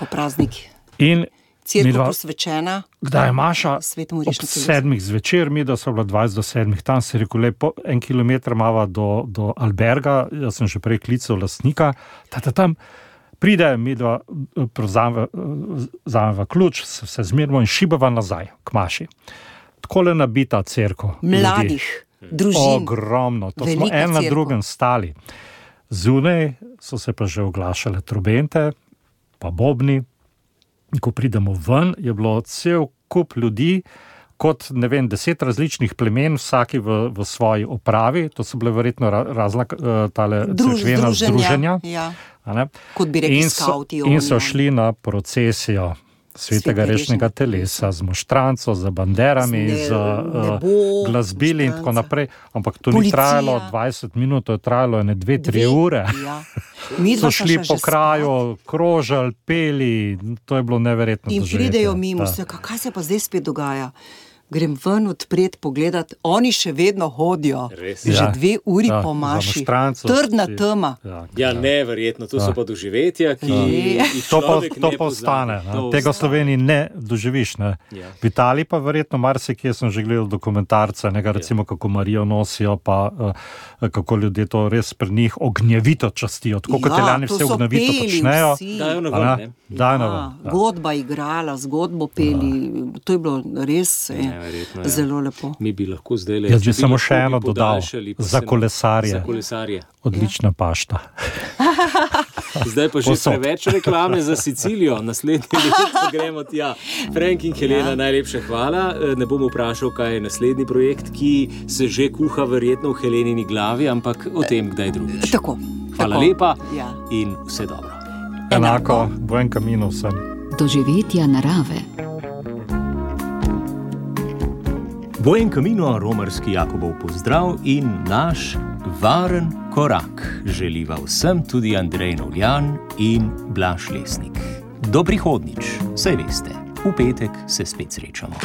Speaker 4: praznik.
Speaker 5: In
Speaker 4: cerkev posvečena.
Speaker 5: Kdaj je Maša? Ob 7. zvečer, mi da so bila 20 do 7. Tam se je rekel, lepo, 1 kilometer mava do Alberga, jaz sem že prej klical lastnika, tam pride, mi da vzameva ključ, se zmerimo in šibava nazaj k Maši. Takole nabita cerkev.
Speaker 4: Mladih, družin.
Speaker 5: Ogromno. To smo en na drugem stali. Zunaj so se pa že oglašale trobente, pa bobni. Ko pridemo ven, je bilo cel kup ljudi, kot, 10 različnih plemen, vsaki v svoji opravi. To so bile verjetno razna tale cerkvena združenja.
Speaker 4: Kot bi rekli skauti.
Speaker 5: In so šli na procesijo svetega rešnega telesa, z moštranco, z banderami, z glasbili in tako naprej. Ampak to ni trajalo 20 minut, to je trajalo 2-3 ure. So šli po kraju, krožali, peli, to je bilo neverjetno doživetje.
Speaker 4: In pridejo mimo, kaj se pa zdaj spet dogaja? Grem ven odpret pogledat, oni še vedno hodijo. Že 2 uri po Maši. Trdna tema.
Speaker 2: Ja, neverjetno, to so pa doživetja, ki jih človek ne
Speaker 5: postane. Tega v Sloveniji ne doživiš. V Italiji pa verjetno marsikje sem že gledal dokumentarce, recimo kako Marijo nosijo, pa kako ljudje to res pri njih ognjevito častijo. Tako kot Italijani vse ognjevito počnejo.
Speaker 2: Dajo na ven,
Speaker 4: Godba igrala, zgodbo peli, to je bilo res zelo lepo.
Speaker 2: Mi bi lahko zdaj
Speaker 5: jaz bi samo še eno dodal, za kolesarje. Odlična pašta.
Speaker 2: Zdaj pa že preveč reklame za Sicilijo, naslednji leto gremo tja. Frank in Helena, najlepša hvala. Ne bom vprašal, kaj je naslednji projekt, ki se že kuha verjetno v Helenini glavi, ampak o tem kdaj drugič. Hvala lepa in vse dobro.
Speaker 5: Enako, buen camino vsem.
Speaker 1: Doživetja narave.
Speaker 2: Buen camino, romarski Jakobov pozdrav in naš varen korak želiva vsem tudi Andrej Novljan in Blaž Lesnik. Do prihodnjič, saj veste, v petek se spet srečamo.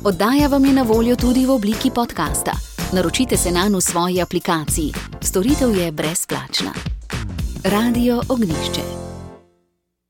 Speaker 1: Oddaja vam je na voljo tudi v obliki podcasta. Naročite se nanj v svoji aplikaciji. Storitev je brezplačna. Radio Ognjišče.